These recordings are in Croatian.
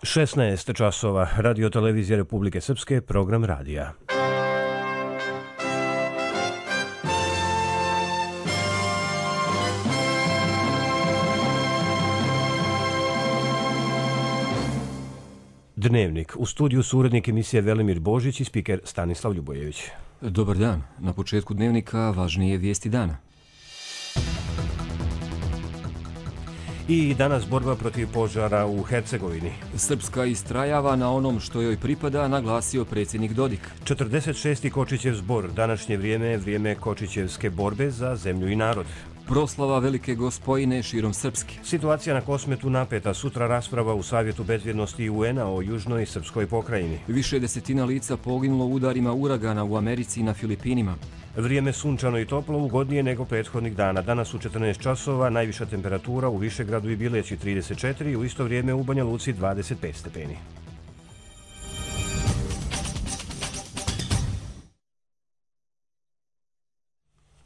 16 časova, Radio televizija Republike Srpske, program radija. Dnevnik. U studiju su urednik emisije Velimir Božić i spiker Stanislav Ljubojević. Dobar dan. Na početku dnevnika važnije vijesti dana. I danas borba protiv požara u Hercegovini. Srpska istrajava na onom što joj pripada, naglasio predsjednik Dodik. 46. Kočićev zbor. Današnje vrijeme je vrijeme Kočićevske borbe za zemlju i narod. Proslava Velike Gospojine širom Srpske. Situacija na Kosmetu napeta. Sutra rasprava u Savjetu bezbjednosti UN-a o južnoj srpskoj pokrajini. Više desetina lica poginulo u udarima uragana u Americi i na Filipinima. Vrijeme sunčano i toplo, ugodnije nego prethodnih dana. Danas u 14 časova, najviša temperatura u Višegradu i Bileći 34, u isto vrijeme u Banja Luci 25 stepeni.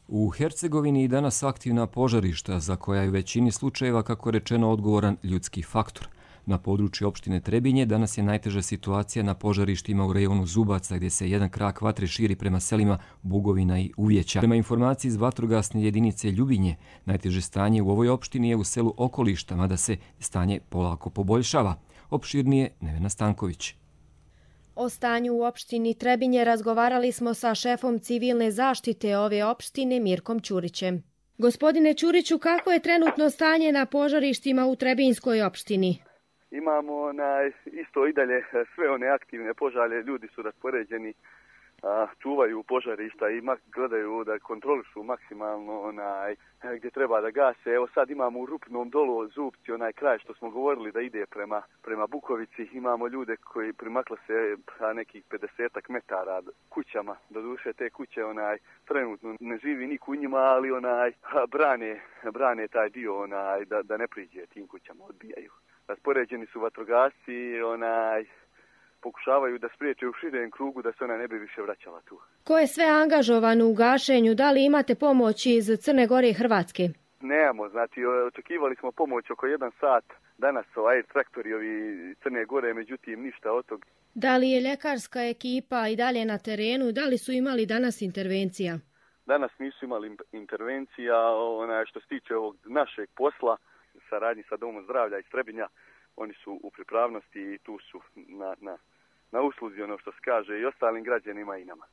U Hercegovini i danas aktivna požarišta za koja je u većini slučajeva, kako rečeno, odgovoran ljudski faktor. Na području opštine Trebinje danas je najteža situacija na požarištima u rejonu Zubaca, gdje se jedan krak vatre širi prema selima Bugovina i Uvjeća. Prema informaciji iz vatrogasne jedinice Ljubinje, najteže stanje u ovoj opštini je u selu Okolišta, mada se stanje polako poboljšava. Opširnije Nevena Stanković. O stanju u opštini Trebinje razgovarali smo sa šefom civilne zaštite ove opštine Mirkom Ćurićem. Gospodine Ćuriću, kako je trenutno stanje na požarištima u Trebinjskoj opštini? Imamo isto i dalje sve one aktivne požare, ljudi su raspoređeni, čuvaju požarišta i gledaju da kontrolišu maksimalno gdje treba da gase. Evo sad imamo u Rupnom dolu Zupci, onaj kraj što smo govorili da ide prema Bukovici. Imamo ljude koji primakle se nekih 50 metara kućama. Doduše te kuće trenutno ne živi niko u njima, ali brane taj dio da ne priđe tim kućama, odbijaju. Raspoređeni su vatrogasci, pokušavaju da spriječe u širem krugu da se ona ne bi više vraćala tu. Ko je sve angažovan u gašenju? Da li imate pomoć iz Crne Gore i Hrvatske? Nemamo, očekivali smo pomoć oko 1 sat. Danas traktori ovi Crne Gore, međutim ništa od toga. Da li je ljekarska ekipa i dalje na terenu? Da li su imali danas intervencija? Danas nisu imali intervencija. Što se tiče ovog našeg posla, saradnji sa Domom zdravlja iz Trebinja, oni su u pripravnosti i tu su na usluzi, ono što se kaže, i ostalim građanima i nama.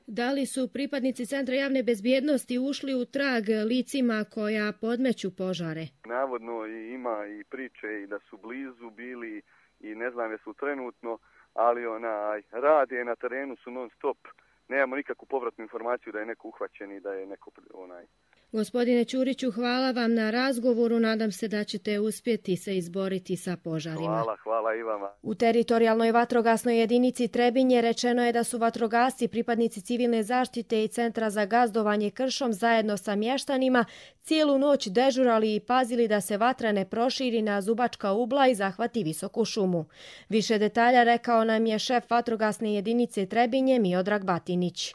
Da li su pripadnici Centra javne bezbjednosti ušli u trag licima koja podmeću požare? Navodno ima i priče i da su blizu bili i ne znam jesu trenutno, ali rade na terenu su non stop. Nemamo nikakvu povratnu informaciju da je neko uhvaćen i da je neko Gospodine Ćuriću, hvala vam na razgovoru. Nadam se da ćete uspjeti se izboriti sa požarima. Hvala i vama. U teritorijalnoj vatrogasnoj jedinici Trebinje rečeno je da su vatrogasci, pripadnici civilne zaštite i Centra za gazdovanje kršom zajedno sa mještanima cijelu noć dežurali i pazili da se vatra ne proširi na Zubačka ugla i zahvati Visoku šumu. Više detalja rekao nam je šef vatrogasne jedinice Trebinje Miodrag Batinić.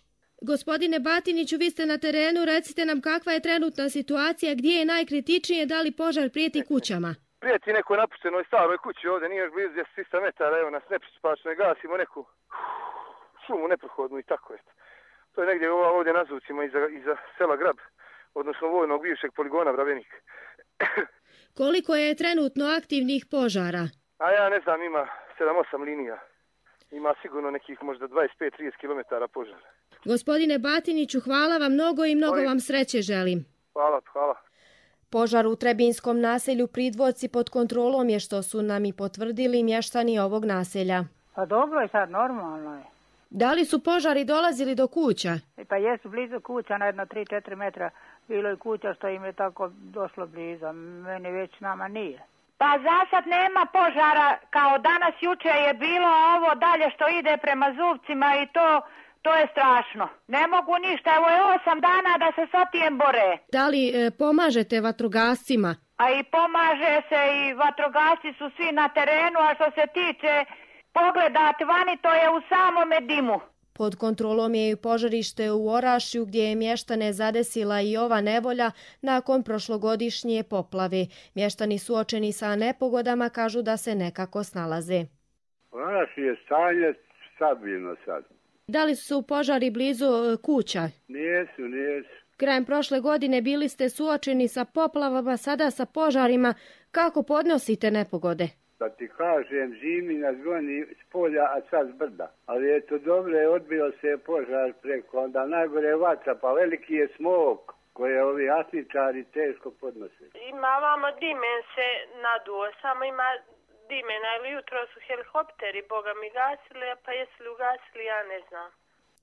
Gospodine Batiniću, vi ste na terenu, recite nam kakva je trenutna situacija, gdje je najkritičnije, da li požar prijeti kućama? Prijeti nekoj napuštenoj staroj kući ovdje, nije još blizu 300 metara, evo nas nepristupačno, gasimo neku šumu neprohodnu i tako je. To je negdje ovdje na Zuvcima iza sela Grab, odnosno vojnog bivšeg poligona Bravenik. Koliko je trenutno aktivnih požara? A ja ne znam, ima 7-8 linija. Ima sigurno nekih možda 25-30 km požara. Gospodine Batiniću, hvala vam mnogo i mnogo vam sreće želim. Hvala. Požar u Trebinskom naselju Pridvorci pod kontrolom je, što su nam i potvrdili mještani ovog naselja. Pa dobro je sad, normalno je. Da li su požari dolazili do kuća? Pa jesu blizu kuća, na jedno 3-4 metra bilo je kuća što im je tako došlo blizu, meni već nama nije. Pa za sad nema požara, kao danas juče je bilo, ovo dalje što ide prema Zuvcima i to je strašno. Ne mogu ništa, evo je 8 dana da se sa tijem bore. Da li pomažete vatrogascima? A i pomaže se i vatrogasci su svi na terenu, a što se tiče pogledati vani, to je u samome dimu. Pod kontrolom je i požarište u Orašju gdje je mještane zadesila i ova nevolja nakon prošlogodišnje poplave. Mještani suočeni sa nepogodama kažu da se nekako snalaze. Orašje je stanje stabilno sad. Da li su požari blizu kuća? Nijesu. Krajem prošle godine bili ste suočeni sa poplavama, sada sa požarima. Kako podnosite nepogode? Da ti kažem, zimi nas goni s polja, a sad s brda. Ali eto dobro, odbio se požar preko, onda najgore vatra, pa veliki je smog koje ovi asničari teško podnose. Ima vamo dimen se naduo, samo ima dimena, ili jutro su helikopteri, boga mi gasili, pa jesu li ugasili, ja ne znam.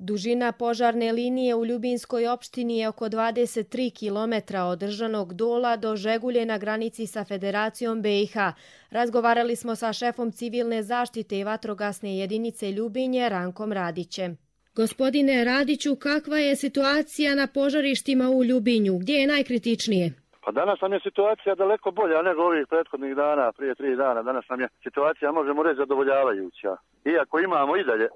Dužina požarne linije u Ljubinskoj opštini je oko 23 km od Držanog Dola do Žegulje na granici sa Federacijom BiH. Razgovarali smo sa šefom civilne zaštite i vatrogasne jedinice Ljubinje Rankom Radićem. Gospodine Radiću, kakva je situacija na požarištima u Ljubinju? Gdje je najkritičnije? Pa danas nam je situacija daleko bolja nego ovih prethodnih dana, prije 3 dana. Danas nam je situacija, možemo reći, zadovoljavajuća. Iako imamo i dalje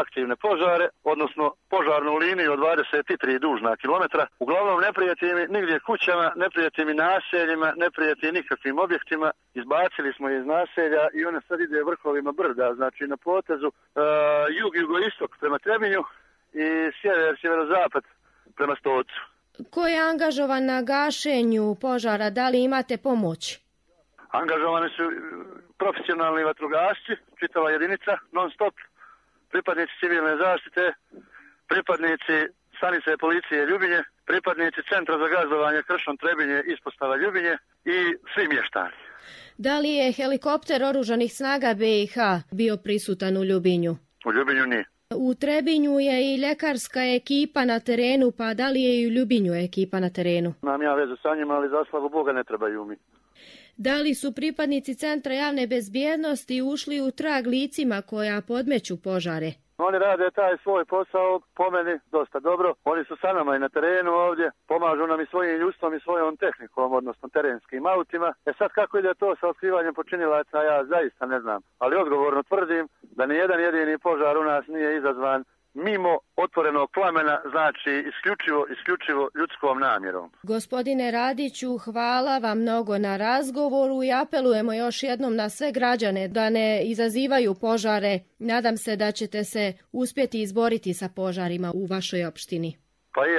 aktivne požare, odnosno požarnu liniju od 23 dužna kilometra. Uglavnom ne prijeti mi nigdje kućama, ne prijeti mi naseljima, ne prijeti nikakvim objektima. Izbacili smo je iz naselja i ona sad ide vrhovima brda, znači na potezu jug-jugoistok prema Trebinju i sjeverozapad prema Stocu. Ko je angažovan na gašenju požara? Da li imate pomoć? Angažovani su profesionalni vatrogasci, čitava jedinica, non stop. Pripadnici civilne zaštite, pripadnici stanice policije Ljubinje, pripadnici Centra za gazdovanje Kršom Trebinje, ispostava Ljubinje i svi mještani. Da li je helikopter oružanih snaga BiH bio prisutan u Ljubinju? U Ljubinju nije. U Trebinju je i ljekarska ekipa na terenu, pa da li je i u Ljubinju ekipa na terenu? Imam ja vezu sa njima, ali za slavu Boga ne trebaju mi. Da li su pripadnici Centra javne bezbjednosti ušli u trag licima koja podmeću požare? Oni rade taj svoj posao, po meni, dosta dobro. Oni su sa nama i na terenu ovdje, pomažu nam i svojim ljudstvom i svojom tehnikom, odnosno terenskim autima. Sad kako ide to sa otkrivanjem počinilaca, ja zaista ne znam. Ali odgovorno tvrdim da ni jedan jedini požar u nas nije izazvan mimo otvorenog plamena, znači isključivo ljudskom namjerom. Gospodine Radiću, hvala vam mnogo na razgovoru i apelujemo još jednom na sve građane da ne izazivaju požare. Nadam se da ćete se uspjeti izboriti sa požarima u vašoj opštini. Pa i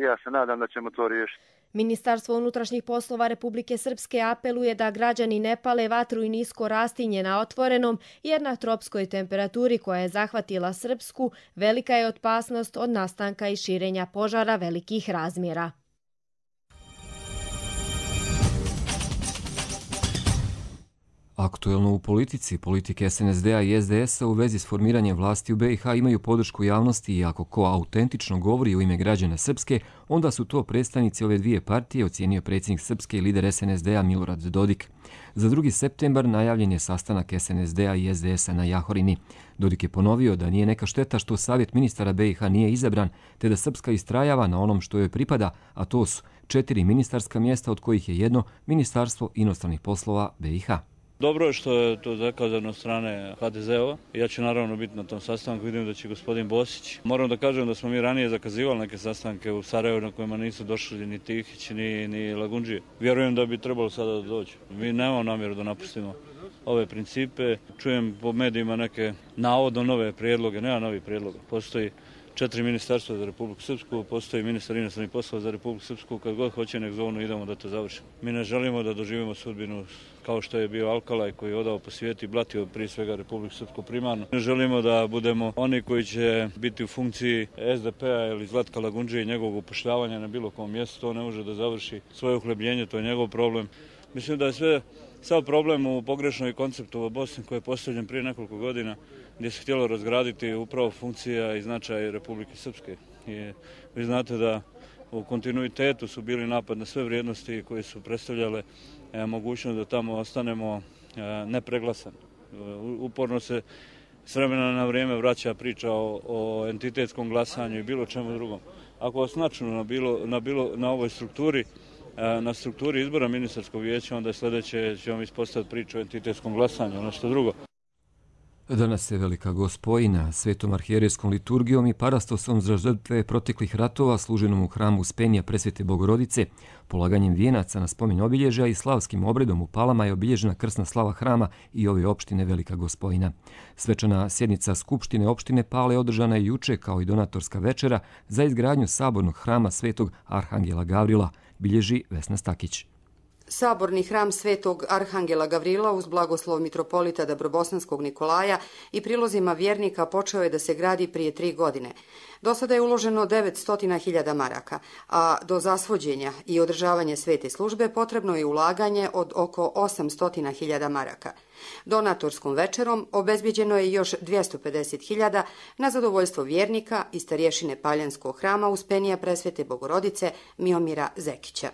ja se nadam da ćemo to riješiti. Ministarstvo unutrašnjih poslova Republike Srpske apeluje da građani ne pale vatru i nisko rastinje na otvorenom, jer na tropskoj temperaturi koja je zahvatila Srpsku velika je opasnost od nastanka i širenja požara velikih razmjera. Aktuelno u politici, politike SNSD-a i SDS-a u vezi s formiranjem vlasti u BiH imaju podršku javnosti i ako ko autentično govori u ime građana Srpske, onda su to predstavnici ove dvije partije, ocijenio predsjednik Srpske i lider SNSD-a Milorad Dodik. Za 2. septembar najavljen je sastanak SNSD-a i SDS-a na Jahorini. Dodik je ponovio da nije neka šteta što Savjet ministara BiH nije izabran, te da Srpska istrajava na onom što joj pripada, a to su 4 ministarska mjesta, od kojih je jedno Ministarstvo inostranih poslova BiH. Dobro je što je to zakazano od strane HDZ-ova. Ja ću naravno biti na tom sastanku, vidim da će gospodin Bosić. Moram da kažem da smo mi ranije zakazivali neke sastanke u Sarajevu na kojima nisu došli ni Tihić, ni Lagundžije. Vjerujem da bi trebalo sada da dođu. Mi nemamo namjeru da napustimo ove principe. Čujem po medijima neke navodno nove prijedloge, nema novih prijedloga. Postoji 4 ministarstva za Republiku Srpsku, postoji ministar inostranih poslova za Republiku Srpsku, kad god hoće nek zovnu idemo da to završimo. Mi ne želimo da doživimo sudbinu kao što je bio Alkalaj koji je odao po svijetu i blatio prije svega Republiku Srpsku primarno. Ne želimo da budemo oni koji će biti u funkciji SDP-a ili Zlatka Lagundžije i njegovog upošljavanja na bilo kom mjestu, to ne može da završi svoje uhljebljenje, to je njegov problem. Mislim da je sav problem u pogrešnoj konceptu u Bosni koji je postavljen prije nekoliko godina, gdje se htjelo razgraditi upravo funkcija i značaj Republike Srpske. I vi znate da u kontinuitetu su bili napad na sve vrijednosti koje su predstavljale mogućnost da tamo ostanemo nepreglasani. Uporno se s vremena na vrijeme vraća priča o entitetskom glasanju i bilo čemu drugom. Ako vas načnu na ovoj strukturi, na strukturi izbora ministarskog vijeća, onda sljedeće ćemo ispostaviti priču o entitetskom glasanju, ono što drugo. Danas je Velika Gospojina. Svetom arhijerejskom liturgijom i parastosom za žrtve proteklih ratova služenom u hramu Uspenja Presvete Bogorodice, polaganjem vijenaca na spomen obilježja i slavskim obredom u Palama je obilježena krsna slava hrama i ove opštine Velika Gospojina. Svečana sjednica Skupštine opštine Pale održana je juče kao i donatorska večera za izgradnju sabornog hrama Svetog Arhangela Gavrila, bilježi Vesna Stakić. Saborni hram Svetog Arhangela Gavrila uz blagoslov mitropolita Dabrobosanskog Nikolaja i prilozima vjernika počeo je da se gradi prije 3 godine. Do sada je uloženo 900.000 maraka, a do zasvođenja i održavanja svete službe potrebno je ulaganje od oko 800.000 maraka. Donatorskom večerom obezbijeđeno je još 250.000 na zadovoljstvo vjernika i starješine Paljanskog hrama Uspenija Presvete Bogorodice Miomira Zekića.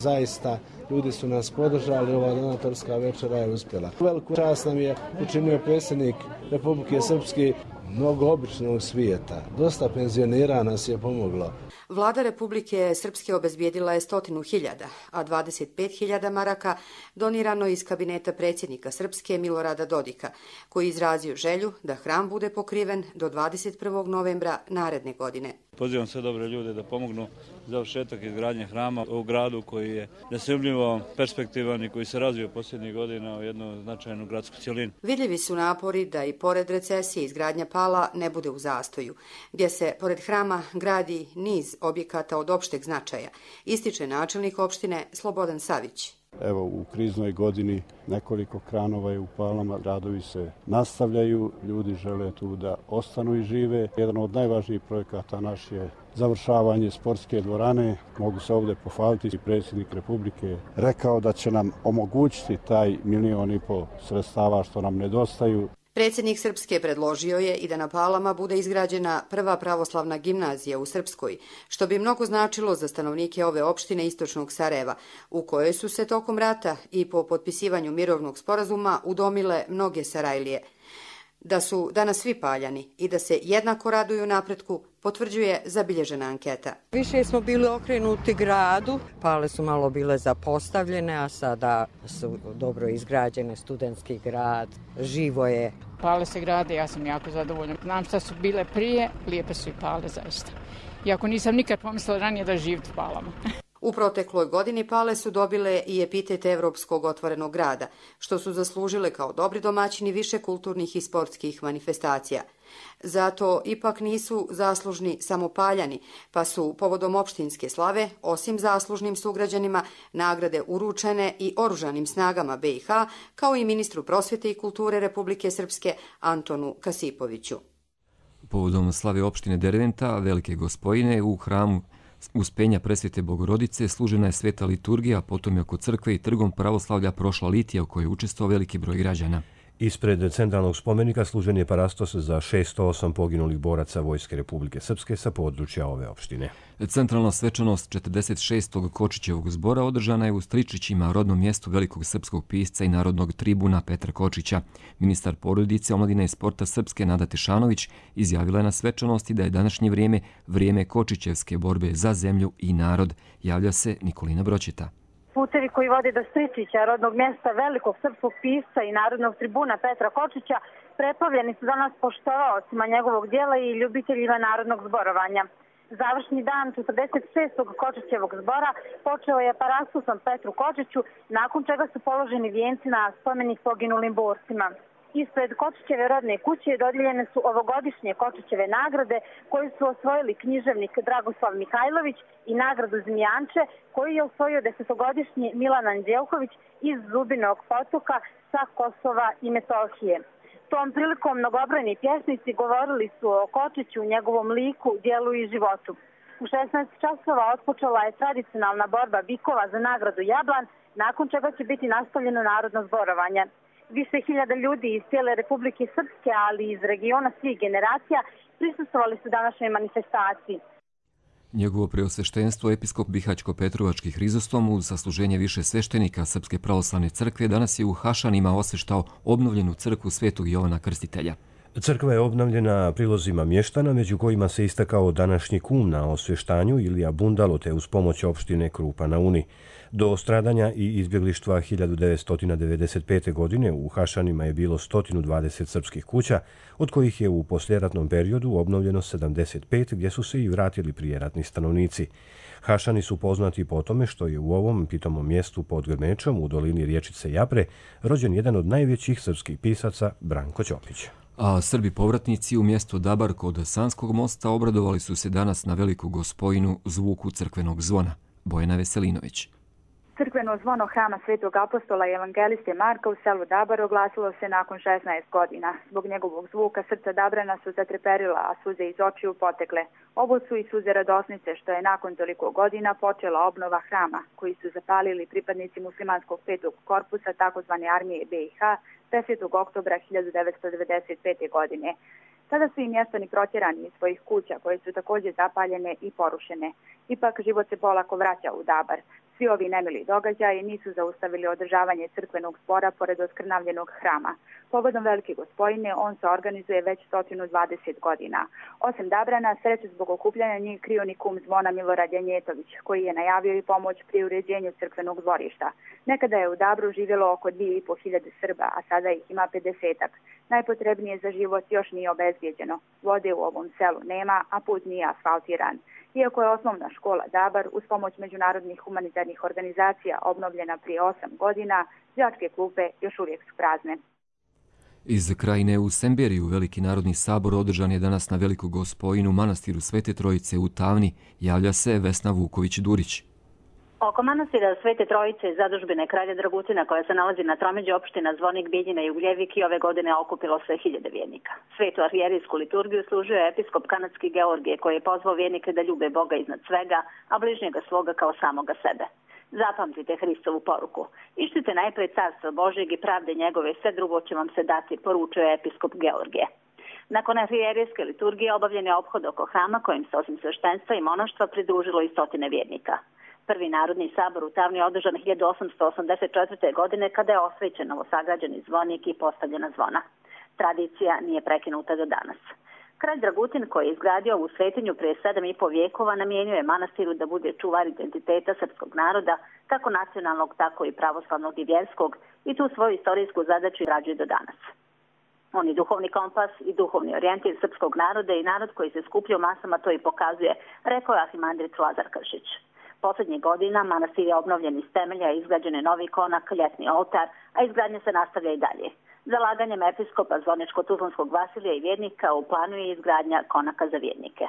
Zaista, ljudi su nas podržali, ova donatorska večera je uspjela. Veliku čast nam je učinio predsjednik Republike Srpske mnogo običnog svijeta. Dosta penzionera nas je pomoglo. Vlada Republike Srpske obezbijedila je 100.000, a 25.000 maraka donirano iz kabineta predsjednika Srpske Milorada Dodika, koji izrazio želju da hram bude pokriven do 21. novembra naredne godine. Pozivam sve dobre ljude da pomognu završetak izgradnje hrama u gradu koji je nesumnjivo perspektivan i koji se razvio posljednjih godina u jednu značajnu gradsku cjelinu. Vidljivi su napori da i pored recesije izgradnja Pala ne bude u zastoju, gdje se pored hrama gradi niz objekata od opšteg značaja, ističe načelnik opštine Slobodan Savić. Evo, u kriznoj godini nekoliko kranova je u Palama, radovi se nastavljaju, ljudi žele tu da ostanu i žive. Jedan od najvažnijih projekata naš je završavanje sportske dvorane. Mogu se ovdje pohvaliti i predsjednik Republike rekao da će nam omogućiti taj 1,5 miliona sredstava što nam nedostaju. Predsjednik Srpske predložio je i da na Palama bude izgrađena prva pravoslavna gimnazija u Srpskoj, što bi mnogo značilo za stanovnike ove opštine istočnog Sarajeva, u kojoj su se tokom rata i po potpisivanju mirovnog sporazuma udomile mnoge Sarajlije. Da su danas svi Paljani i da se jednako raduju napretku, potvrđuje zabilježena anketa. Više smo bili okrenuti gradu, Pale su malo bile zapostavljene, a sada su dobro izgrađene, studentski grad, živo je. Pale se grade, ja sam jako zadovoljna. Znam šta su bile prije, lijepe su i Pale zaista. Iako nisam nikad pomislila ranije da živim u Palama. U protekloj godini Pale su dobile i epitet Evropskog otvorenog grada, što su zaslužile kao dobri domaćini više kulturnih i sportskih manifestacija. Zato ipak nisu zaslužni samo Paljani, pa su povodom opštinske slave, osim zaslužnim sugrađanima, nagrade uručene i oružanim snagama BiH, kao i ministru prosvjete i kulture Republike Srpske Antonu Kasipoviću. Povodom slave opštine Derventa, Velike Gospojine, u hramu Uspenja Presvete Bogorodice služena je sveta liturgija, potom je oko crkve i trgom pravoslavlja prošla litija u kojoj je učestvovao veliki broj građana. Ispred centralnog spomenika služen je parastos za 608 poginulih boraca Vojske Republike Srpske sa područja ove opštine. Centralna svečanost 46. Kočićevog zbora održana je u Stričićima, rodnom mjestu velikog srpskog pisca i narodnog tribuna Petra Kočića. Ministar porodice, omladine i sporta Srpske Nada Tešanović izjavila je na svečanosti da je današnje vrijeme Kočićevske borbe za zemlju i narod. Javlja se Nikolina Broćeta. Putevi koji vode do Stričića, rodnog mjesta velikog srpskog pisca i narodnog tribuna Petra Kočića, preplavljeni su danas poštovaocima njegovog dijela i ljubiteljima narodnog zborovanja. Završni dan 46. Kočićevog zbora počeo je parastosom Petru Kočiću, nakon čega su položeni vijenci na spomenik poginulim borcima. Ispred Kočićeve rodne kuće dodijeljene su ovogodišnje Kočićeve nagrade koje su osvojili književnik Dragoslav Mihajlović i nagradu Zmijanče koju je osvojio 10-godišnji Milan Anđelković iz Zubinog potoka sa Kosova i Metohije. Tom prilikom mnogobrojni pjesnici govorili su o Kočiću, njegovom liku, dijelu i životu. U 16 časova otpočela je tradicionalna borba bikova za nagradu Jablan, nakon čega će biti nastavljeno narodno zborovanje. Više hiljada ljudi iz cijele Republike Srpske, ali i iz regiona svih generacija, prisustvovali su današnjoj manifestaciji. Njegovo preosveštenstvo episkop Bihaćko-Petrovački Hrizostom uz sasluženje više sveštenika Srpske pravoslavne crkve danas je u Hašanima osveštao obnovljenu crkvu Svetog Jovana Krstitelja. Crkva je obnavljena prilozima mještana, među kojima se istakao današnji kum na osvještanju Ilija Bundalo, te uz pomoć opštine Krupa na Uni. Do stradanja i izbjeglištva 1995. godine u Hašanima je bilo 120 srpskih kuća, od kojih je u posljeratnom periodu obnovljeno 75, gdje su se i vratili prijeratni stanovnici. Hašani su poznati po tome što je u ovom pitomom mjestu pod Grmečom u dolini riječice Japre rođen jedan od najvećih srpskih pisaca Branko Ćopić. A Srbi povratnici u mjestu Dabar kod Sanskog mosta obradovali su se danas na Veliku Gospojinu zvuku crkvenog zvona. Bojana Veselinović. Crkveno zvono hrama Svetog apostola i evangeliste Marka u selu Dabar oglasilo se nakon 16 godina. Zbog njegovog zvuka srca Dabrana su zatreperila, a suze iz očiju potekle. Ovo su i suze radosnice što je nakon toliko godina počela obnova hrama, koji su zapalili pripadnici muslimanskog 5. korpusa takozvane armije BiH 10. oktobra 1995. godine. Tada su i mještani protjerani iz svojih kuća, koje su također zapaljene i porušene. Ipak život se polako vraća u Dabar. Svi ovi nemili događaji nisu zaustavili održavanje crkvenog zbora pored oskrnavljenog hrama. Povodom Velike Gospojine on se organizuje već 120 godina. Osim Dabrana, sreću zbog okupljanja nije krio ni kum zvona Milorad Janjetović, koji je najavio i pomoć pri uređenju crkvenog dvorišta. Nekada je u Dabru živjelo oko 2500 Srba, a sada ih ima 50-ak. Najpotrebnije za život još nije obezbijeđeno. Vode u ovom selu nema, a put nije asfaltiran. Iako je osnovna škola Dabar uz pomoć međunarodnih humanitarnih organizacija obnovljena prije 8 godina, đačke klupe još uvijek su prazne. Iz krajine u Semberiju Veliki narodni sabor održan je danas na Veliku Gospojinu manastiru Svete Trojice u Tavni, javlja se Vesna Vuković-Durić. Oko manastira Svete Trojice zadužbine kralja Dragutina koja se nalazi na tromeđi opština Zvornik, Bijeljina i Ugljevik i ove godine okupilo se 1000 vjernika. Svetu arhijerijsku liturgiju služio je episkop kanadski Georgije koji je pozvao vjernike da ljube Boga iznad svega, a bližnjega svoga kao samoga sebe. Zapamtite Hristovu poruku. Ištite najprej carstva Božjeg i pravde njegove, sve drugo će vam se dati, poručuje episkop Georgije. Nakon arhijerijske liturgije obavljen je ophod oko hrama kojim se osim sveštenstva i monaštva pridružilo i stotine vjernika. Prvi narodni sabor u Tavni je održan 1884. godine kada je osvećen novosagrađeni zvonik i postavljena zvona. Tradicija nije prekinuta do danas. Kralj Dragutin koji je izgradio ovu svetinju prije 7,5 vijekova namijenio je manastiru da bude čuvar identiteta srpskog naroda, kako nacionalnog, tako i pravoslavnog i vjerskog, i tu svoju istorijsku zadaću izrađuje do danas. On je duhovni kompas i duhovni orijentir srpskog naroda i narod koji se skuplja u masama to i pokazuje, rekao je arhimandrit Lazar Kršić. Posljednjih godina manastir je obnovljen iz temelja, izgrađen je novi konak, ljetni oltar, a izgradnja se nastavlja i dalje. Zalaganjem episkopa Zvorničko-Tuzlanskog Vasilija i vjernika u planu je izgradnja konaka za vjernike.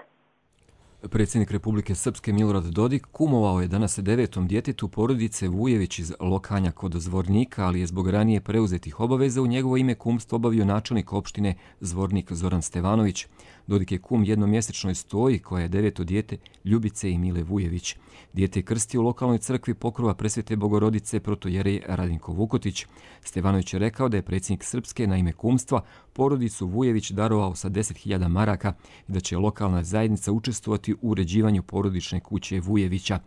Predsjednik Republike Srpske Milorad Dodik kumovao je danas 9. djetetu porodice Vujević iz Lokanja kod Zvornika, ali je zbog ranije preuzetih obaveza u njegovo ime kumstvo obavio načelnik opštine Zvornik Zoran Stevanović. Dodik je kum jednomjesečnoj stoji koja je 9. dijete Ljubice i Mile Vujević. Dijete je krstio u lokalnoj crkvi Pokrova Presvete Bogorodice protojerej Radinko Vukotić. Stevanović je rekao da je predsjednik Srpske na ime kumstva porodicu Vujević darovao sa 10.000 maraka i da će lokalna zajednica učestvovati u uređivanju porodične kuće Vujevića.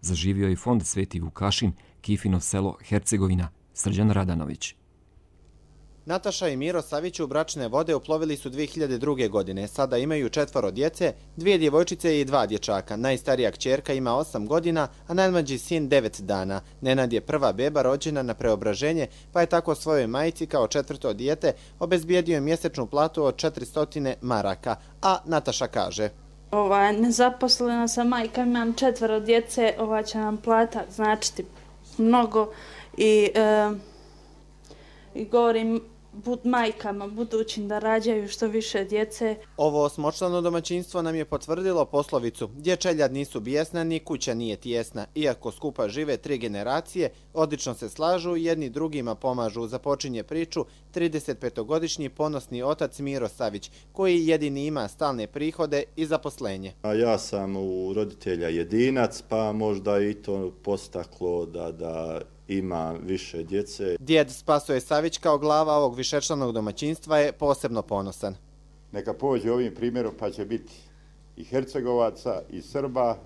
Zaživio je fond Sveti Vukašin, Kifino selo Hercegovina. Srđan Radanović. Nataša i Miro Savić u bračne vode uplovili su 2002. godine. Sada imaju 4 djece, 2 djevojčice i 2 dječaka. Najstarija kćerka ima 8 godina, a najmlađi sin 9 dana. Nenad je prva beba rođena na Preobraženje, pa je tako svojoj majici kao 4. dijete obezbijedio mjesečnu platu od 400 maraka. A Nataša kaže: Nezaposlena sam majka, imam 4 djece, ova će nam plata značiti mnogo i govorim majkama budućim da rađaju što više djece. Ovo 8-člano domaćinstvo nam je potvrdilo poslovicu: dječeljad nisu bijesna, ni kuća nije tijesna. Iako skupa žive 3 generacije, odlično se slažu, jedni drugima pomažu. Započinje priču 35-godišnji ponosni otac Miro Savić, koji jedini ima stalne prihode i zaposlenje. Ja sam u roditelja jedinac, pa možda i to postaklo da ima više djece. Djed Spasoje Savić kao glava ovog višečlanog domaćinstva je posebno ponosan. Neka pođe ovim primjerom pa će biti i Hercegovaca i Srba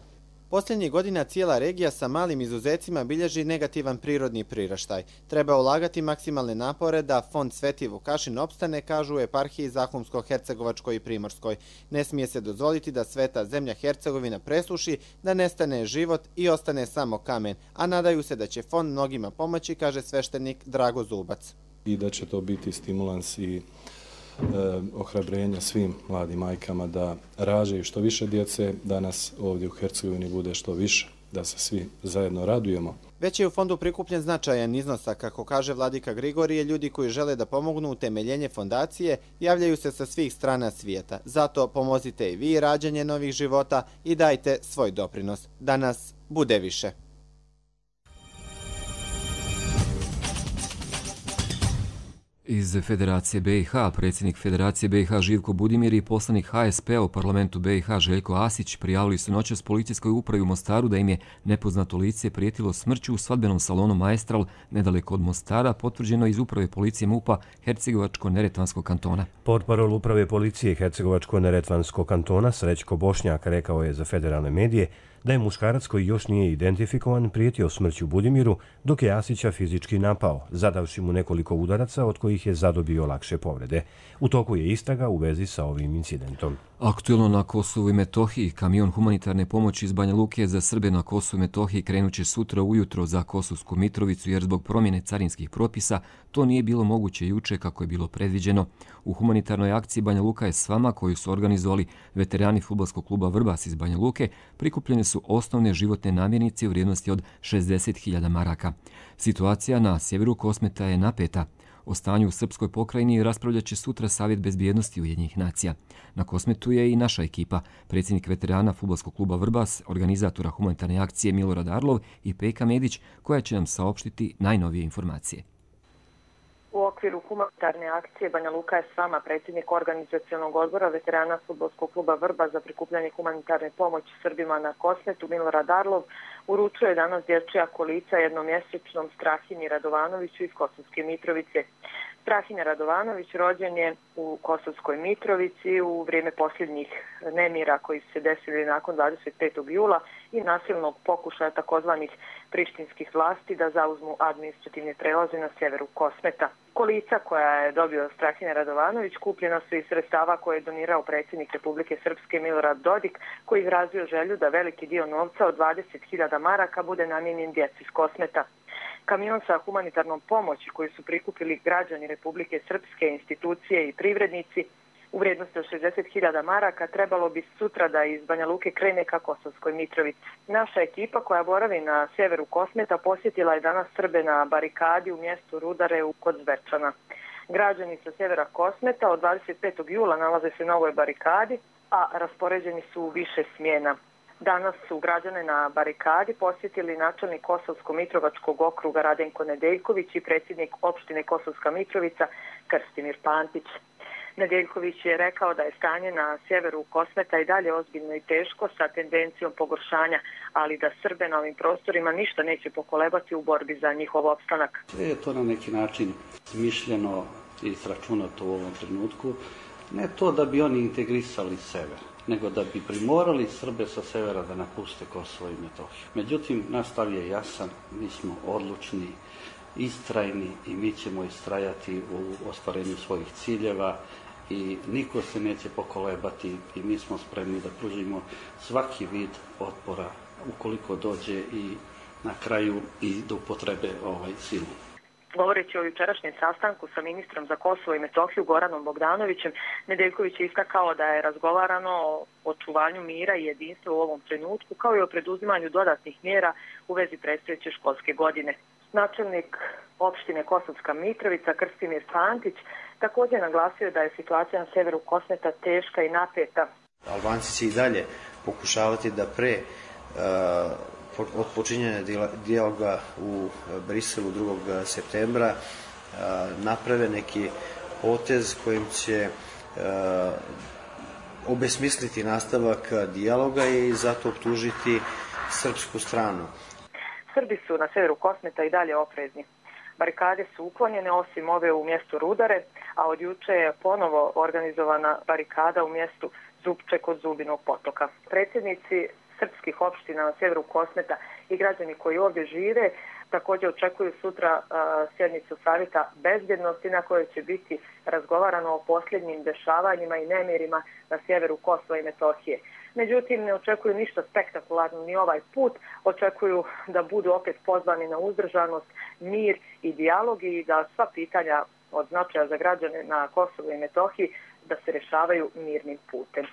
Posljednjih godina cijela regija sa malim izuzecima bilježi negativan prirodni priraštaj. Treba ulagati maksimalne napore da fond Sveti Vukašin opstane, kažu u eparhiji Zahumsko-Hercegovačkoj i Primorskoj. Ne smije se dozvoliti da sveta zemlja Hercegovina presuši, da nestane život i ostane samo kamen, a nadaju se da će fond mnogima pomoći, kaže sveštenik Drago Zubac. I da će to biti stimulans i ohrabrenja svim mladim majkama da rađaju što više djece, da nas ovdje u Hercegovini bude što više, da se svi zajedno radujemo. Već je u fondu prikupljen značajan iznos, a kako kaže vladika Grigorije, ljudi koji žele da pomognu utemeljenje fondacije javljaju se sa svih strana svijeta. Zato pomozite i vi rađanje novih života i dajte svoj doprinos. Da nas bude više. Iz Federacije BiH, predsjednik Federacije BiH Živko Budimir i poslanik HSP-a u parlamentu BiH Željko Asić prijavili su noćas policijskoj upravi u Mostaru da im je nepoznato lice prijetilo smrću u svadbenom salonu Maestral nedaleko od Mostara, potvrđeno iz uprave policije MUP-a Hercegovačko-Neretvanskog kantona. Portparol uprave policije Hercegovačko-Neretvanskog kantona Srećko Bošnjak rekao je za federalne medije da je muškarac koji još nije identifikovan prijetio smrću Budimiru dok je Asića fizički napao, zadavši mu nekoliko udaraca od kojih je zadobio lakše povrede. U toku je istraga u vezi sa ovim incidentom. Aktuelno na Kosovu i Metohiji, kamion humanitarne pomoći iz Banja Luke za Srbe na Kosovu i Metohiji krenuće sutra ujutro za Kosovsku Mitrovicu jer zbog promjene carinskih propisa to nije bilo moguće juče kako je bilo predviđeno. U humanitarnoj akciji Banja Luka je s vama koju su organizovali veterani fudbalskog kluba Vrbas iz Banja Luke prikupljene su osnovne životne namirnice u vrijednosti od 60.000 maraka. Situacija na sjeveru Kosmeta je napeta. O stanju u Srpskoj pokrajini raspravljat će sutra Savjet bezbjednosti Ujedinjenih nacija. Na Kosmetu je i naša ekipa, predsjednik veterana fudbalskog kluba Vrbas, organizatora humanitarne akcije Milorad Arlov i Peka Medić, koja će nam saopštiti najnovije informacije. U okviru humanitarne akcije Banja Luka je s vama predsjednik organizacionog odbora veterana fudbalskog kluba Vrba za prikupljanje humanitarne pomoći Srbima na Kosmetu Milorad Arlov uručuje danas dječja kolica jednomjesečnom Strahinji Radovanoviću iz Kosovske Mitrovice. Strahinja Radovanović rođen je u Kosovskoj Mitrovici u vrijeme posljednjih nemira koji su se desili nakon 25. jula i nasilnog pokušaja takozvanih prištinskih vlasti da zauzmu administrativne prelaze na sjeveru Kosmeta. Kolica koja je dobio Strahinja Radovanović kupljena su iz sredstava koje je donirao predsjednik Republike Srpske Milorad Dodik, koji izrazio želju da veliki dio novca od 20.000 maraka bude namijenjen djeci iz Kosmeta. Kamion sa humanitarnom pomoći koju su prikupili građani Republike Srpske, institucije i privrednici u vrijednosti od 60.000 maraka trebalo bi sutra da iz Banja Luke krene ka Kosovskoj Mitrovici. Naša ekipa koja boravi na sjeveru Kosmeta posjetila je danas Srbe na barikadi u mjestu Rudare kod Zvečana. Građani sa sjevera Kosmeta od 25. jula nalaze se na ovoj barikadi, a raspoređeni su u više smjena. Danas su građane na barikadi posjetili načelnik Kosovsko-Mitrovačkog okruga Radenko Nedeljković i predsjednik opštine Kosovska Mitrovica Krstimir Pantić. Nedeljković je rekao da je stanje na sjeveru Kosmeta i dalje ozbiljno i teško sa tendencijom pogoršanja, ali da Srbe na ovim prostorima ništa neće pokolebati u borbi za njihov opstanak. Sve je to na neki način smišljeno i sračunato u ovom trenutku. Ne to da bi oni integrisali sever, nego da bi primorali Srbe sa severa da napuste Kosovo i Metohiju. Međutim, naš stav je jasan, mi smo odlučni, istrajni i mi ćemo istrajati u ostvarenju svojih ciljeva i niko se neće pokolebati i mi smo spremni da pružimo svaki vid otpora ukoliko dođe i na kraju i do upotrebe silu. Govoreći o jučerašnjem sastanku sa ministrom za Kosovo i Metohiju Goranom Bogdanovićem, Nedeljković je istakao da je razgovarano o očuvanju mira i jedinstva u ovom trenutku, kao i o preduzimanju dodatnih mjera u vezi predstojeće školske godine. Načelnik opštine Kosovska Mitrovica Krstimir Pantić također naglasio da je situacija na sjeveru Kosmeta teška i napeta. Albanci će i dalje pokušavati da od počinjanja dijaloga u Briselu 2. septembra naprave neki potez kojim će obesmisliti nastavak dijaloga i zato optužiti srpsku stranu. Srbi su na sjeveru Kosmeta i dalje oprezni. Barikade su uklonjene osim ove u mjestu Rudare, a od juče je ponovo organizovana barikada u mjestu Zupče kod Zubinog potoka. Predsjednici srpskih opština na sjeveru Kosmeta i građani koji ovdje žive. Također očekuju sutra sjednicu Savjeta bezbjednosti na kojoj će biti razgovarano o posljednjim dešavanjima i nemirima na sjeveru Kosova i Metohije. Međutim, ne očekuju ništa spektakularno ni ovaj put. Očekuju da budu opet pozvani na uzdržanost, mir i dijalog i da sva pitanja od značaja za građane na Kosovu i Metohiji da se rješavaju mirnim putem.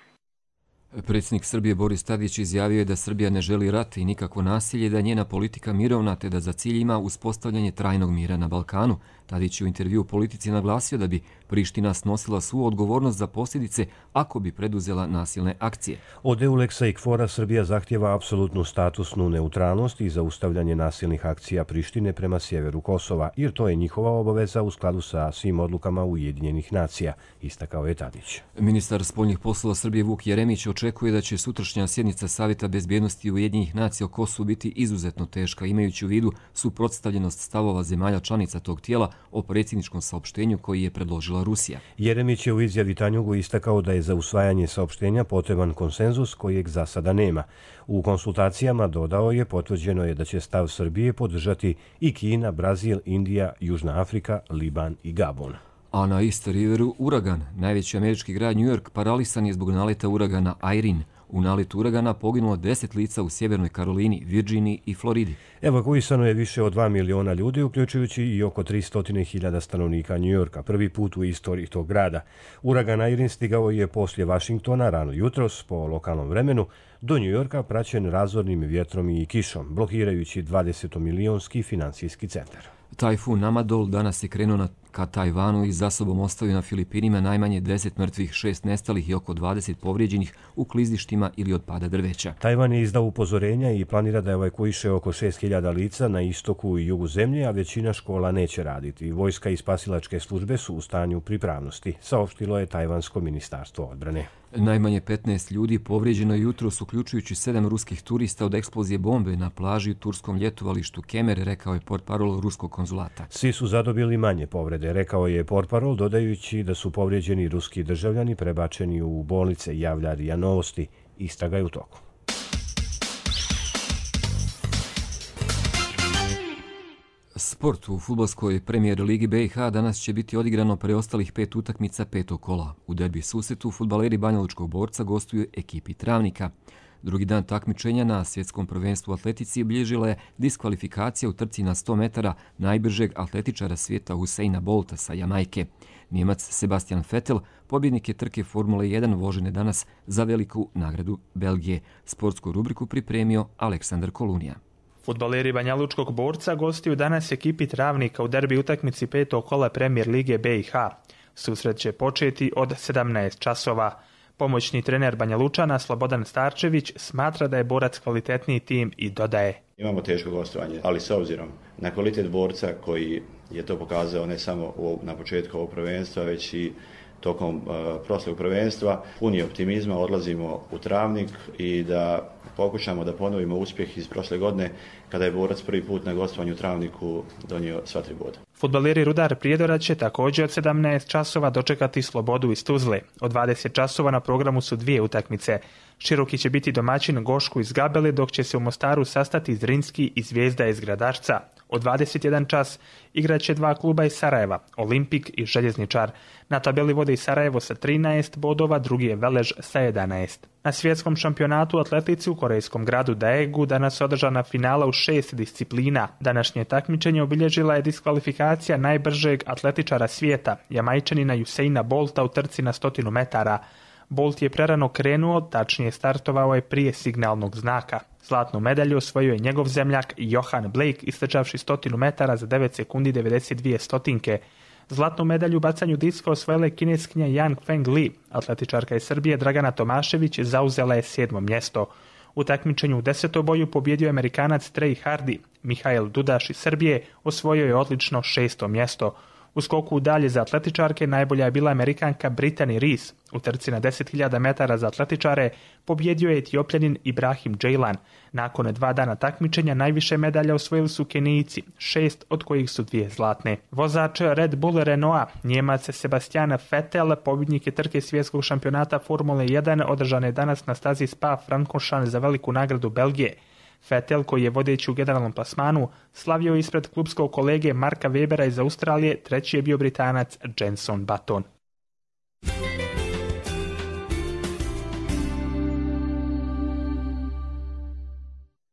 Predsjednik Srbije Boris Tadić izjavio je da Srbija ne želi rat i nikakvo nasilje, da je njena politika mirovna te da za cilj ima uspostavljanje trajnog mira na Balkanu. Tadić je u intervju u Politici naglasio da bi Priština snosila svu odgovornost za posljedice ako bi preduzela nasilne akcije. Od EULEX-a i KFOR-a Srbija zahtjeva apsolutnu statusnu neutralnost i zaustavljanje nasilnih akcija Prištine prema sjeveru Kosova, jer to je njihova obaveza u skladu sa svim odlukama Ujedinjenih nacija, istakao je Tadić. Ministar spoljnih poslova Srbije Vuk Jeremić očekuje da će sutrašnja sjednica Savjeta bezbjednosti Ujedinjenih nacija o Kosovu biti izuzetno teška, imajući u vidu suprotstavljenost stavova zemalja članica tog tijela o predsjedničkom saopštenju koji je predložila Rusija. Jeremić je u izjavi Tanjugu istakao da je za usvajanje saopštenja potreban konsenzus kojeg za sada nema. U konsultacijama, dodao je, potvrđeno je da će stav Srbije podržati i Kina, Brazil, Indija, Južna Afrika, Liban i Gabon. A na East Riveru uragan. Najveći američki grad New York paralisan je zbog naleta uragana Irene. U naletu uragana poginulo 10 lica u Sjevernoj Karolini, Virginiji i Floridi. Evakuisano je više od 2 miliona ljudi, uključujući i oko 300.000 stanovnika New Yorka, prvi put u istoriji tog grada. Uragan Irene stigao je poslije Vašingtona rano jutros po lokalnom vremenu do New Yorka, praćen razornim vjetrom i kišom, blokirajući 20-milionski financijski centar. Tajfun Amadol danas je krenuo ka Tajvanu i za sobom ostavio na Filipinima najmanje 10 mrtvih, 6 nestalih i oko 20 povrijeđenih u klizištima ili od pada drveća. Tajvan je izdao upozorenja i planira da evakuiše oko 6.000 lica na istoku i jugu zemlje, a većina škola neće raditi. Vojska i spasilačke službe su u stanju pripravnosti, saopštilo je Tajvansko ministarstvo odbrane. Najmanje 15 ljudi povrijeđeno je jutros, uključujući 7 ruskih turista od eksplozije bombe na plaži u turskom ljetovalištu Kemer, rekao je portparol ruskog konzulata. Svi su zadobili manje povrede, rekao je portparol, dodajući da su povrijeđeni ruski državljani prebačeni u bolnice, javlja RIA Novosti. Istraga je u toku. Sport u fudbalskoj premijer ligi BiH danas će biti odigrano preostalih 5 utakmica 5. kola. U derbi susretu fudbaleri Banjalučkog Borca gostuju ekipi Travnika. Drugi dan takmičenja na svjetskom prvenstvu u atletici obilježila je diskvalifikacija u trci na 100 metara najbržeg atletičara svijeta Usaina Bolta sa Jamajke. Njemac Sebastian Vettel pobjednik je trke Formule 1 vožene danas za veliku nagradu Belgije. Sportsku rubriku pripremio Aleksandar Kolunija. Fudbaleri Banjalučkog Borca gostuju danas ekipi Travnika u derbi utakmici 5. kola premijer lige BiH. Susret će početi od 17 časova. Pomoćni trener Banjalučana Slobodan Starčević smatra da je Borac kvalitetniji tim i dodaje: Imamo teško gostovanje, ali s obzirom na kvalitet Borca koji je to pokazao ne samo na početku ovog prvenstva, već i tokom prošlog prvenstva, puni optimizma odlazimo u Travnik i da pokušamo da ponovimo uspjeh iz prošle godine kada je Borac prvi put na gostovanju u Travniku donio sva 3 boda. Fudbaleri Rudar Prijedora će također od 17 časova dočekati Slobodu iz Tuzle. Od 20 časova na programu su 2 utakmice. Široki će biti domaćin Gošku iz Gabele, dok će se u Mostaru sastati Zrinski i Zvijezda iz Gradačca. Od 21 čas igraće 2 kluba iz Sarajeva, Olimpik i Željezničar. Na tabeli vode i Sarajevo sa 13 bodova, drugi je Velež sa 11. Na svjetskom šampionatu u atletici u korejskom gradu Daegu danas održana finala u 6 disciplina. Današnje takmičenje obilježila je diskvalifikacija najbržeg atletičara svijeta, Jamajčanina Usaina Bolta u trci na 100 metara. Bolt je prerano krenuo, tačnije startovao je prije signalnog znaka. Zlatnu medalju osvojio je njegov zemljak Johan Blake, istrčavši 100 metara za 9 sekundi 92 stotinke. Zlatnu medalju u bacanju diska osvojila je kineskinja Yang Feng Li. Atletičarka iz Srbije Dragana Tomašević zauzela je 7. mjesto. U takmičenju u 10. boju pobjedio je Amerikanac Trey Hardy. Mihael Dudaš iz Srbije osvojio je odlično 6. mjesto. U skoku dalje za atletičarke najbolja je bila Amerikanka Brittany Rees. U trci na 10.000 metara za atletičare pobjedio je Etiopljanin Ibrahim Džejlan. Nakon 2 dana takmičenja najviše medalja osvojili su Kenijci, 6 od kojih su 2 zlatne. Vozač Red Bull Renaulta, Njemac Sebastian Vettel, pobjednik je trke svjetskog šampionata Formule 1 održane danas na stazi Spa-Francorchamps za veliku nagradu Belgije. Vettel, koji je vodeći u generalnom plasmanu, slavio ispred klubskog kolege Marka Webera iz Australije, treći je bio Britanac Jenson Button.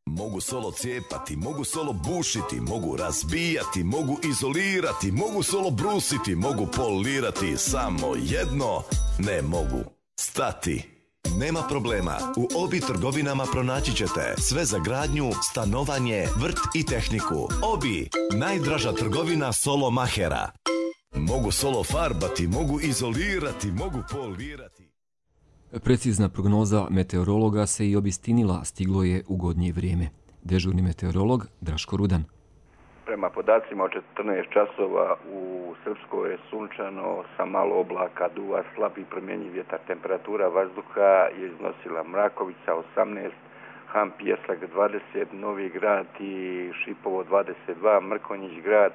Mogu solo cijepati, mogu solo bušiti, mogu razbijati, mogu izolirati, mogu solo brusiti, mogu polirati, samo jedno ne mogu stati. Nema problema, u Obi trgovinama pronaći ćete sve za gradnju, stanovanje, vrt i tehniku. Obi, najdraža trgovina solo mahera. Mogu solo farbati, mogu izolirati, mogu polirati. Precizna prognoza meteorologa se i obistinila, stiglo je ugodnije vrijeme. Dežurni meteorolog Draško Rudan. Prema podacima od 14 časova u Srpskoj je sunčano sa malo oblaka, duva slab i promjenjiv vjetar. Temperatura vazduha je iznosila Mrakovica 18, Han Pjesak 20, Novi Grad i Šipovo 22, Mrkonjić Grad,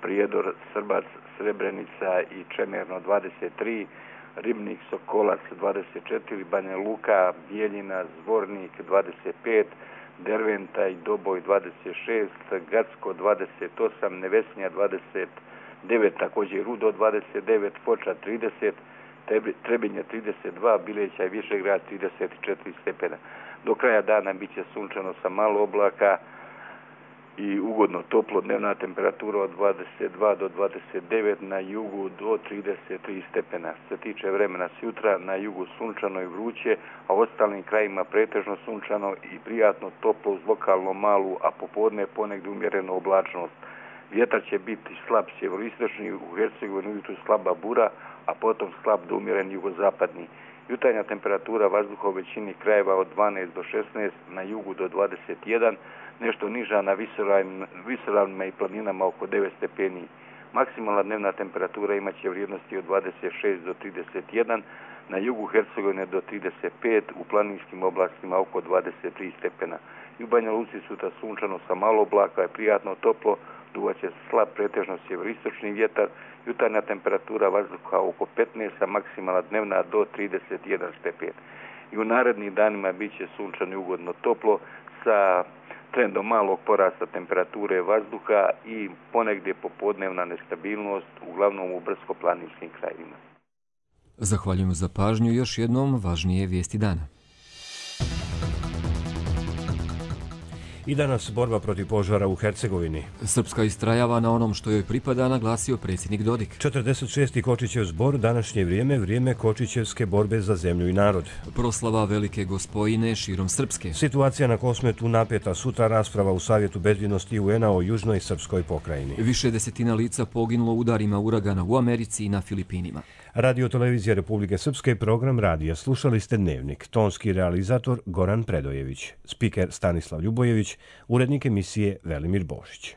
Prijedor, Srbac, Srebrenica i Čemerno 23, Ribnik, Sokolac 24, Banja Luka, Bijeljina, Zvornik 25, Derventa i Doboj 26, Gacko 28, Nevesnja 29, također Rudo 29, Foča 30, Trebinje 32, Bileća i Višegrad 34 stepena. Do kraja dana bit će sunčano sa malo oblaka i ugodno toplo, dnevna temperatura od 22 do 29, na jugu do 33 stepena. Što se tiče vremena sutra, na jugu sunčano i vruće, a u ostalim krajima pretežno sunčano i prijatno toplo uz lokalno malu, a popodne ponegdje umjerenu oblačnost. Vjetar će biti slab sjeveroistočni, u Hercegovini ujutru slaba bura, a potom slab do umjeren jugozapadni. Jutarnja temperatura vazduha u većini krajeva od 12 do 16, na jugu do 21, nešto niža na visoravnima i planinama oko 9 stepeni. Maksimalna dnevna temperatura imaće vrijednosti od 26 do 31, na jugu Hercegovine do 35, u planinskim oblastima oko 23 stepena. I u Banja Luci sutra sunčano sa malo oblaka i prijatno toplo, duvaće slab pretežno sjeveroistočni vjetar, jutarnja temperatura vazduha oko 15, a maksimalna dnevna do 31 stepen. I u narednim danima bit će sunčano i ugodno toplo sa trendom malog porasta temperature vazduha i ponegdje popodnevna nestabilnost, uglavnom u brdsko-planinskim krajevima. Zahvaljujem za pažnju. Još jednom važnije vijesti dana. I danas borba protiv požara u Hercegovini. Srpska istrajava na onom što joj pripada, naglasio predsjednik Dodik. 46. Kočićev zbor, današnje vrijeme Kočićevske borbe za zemlju i narod. Proslava Velike Gospojine širom Srpske. Situacija na Kosmetu napeta, sutra rasprava u Savjetu bezbjednosti UN-a o južnoj srpskoj pokrajini. Više desetina lica poginulo udarima uragana u Americi i na Filipinima. Radio Televizija Republike Srpske, program radija. Slušali ste Dnevnik. Tonski realizator Goran Predojević. Spiker Stanislav Ljubojević. Urednik emisije Velimir Bošić.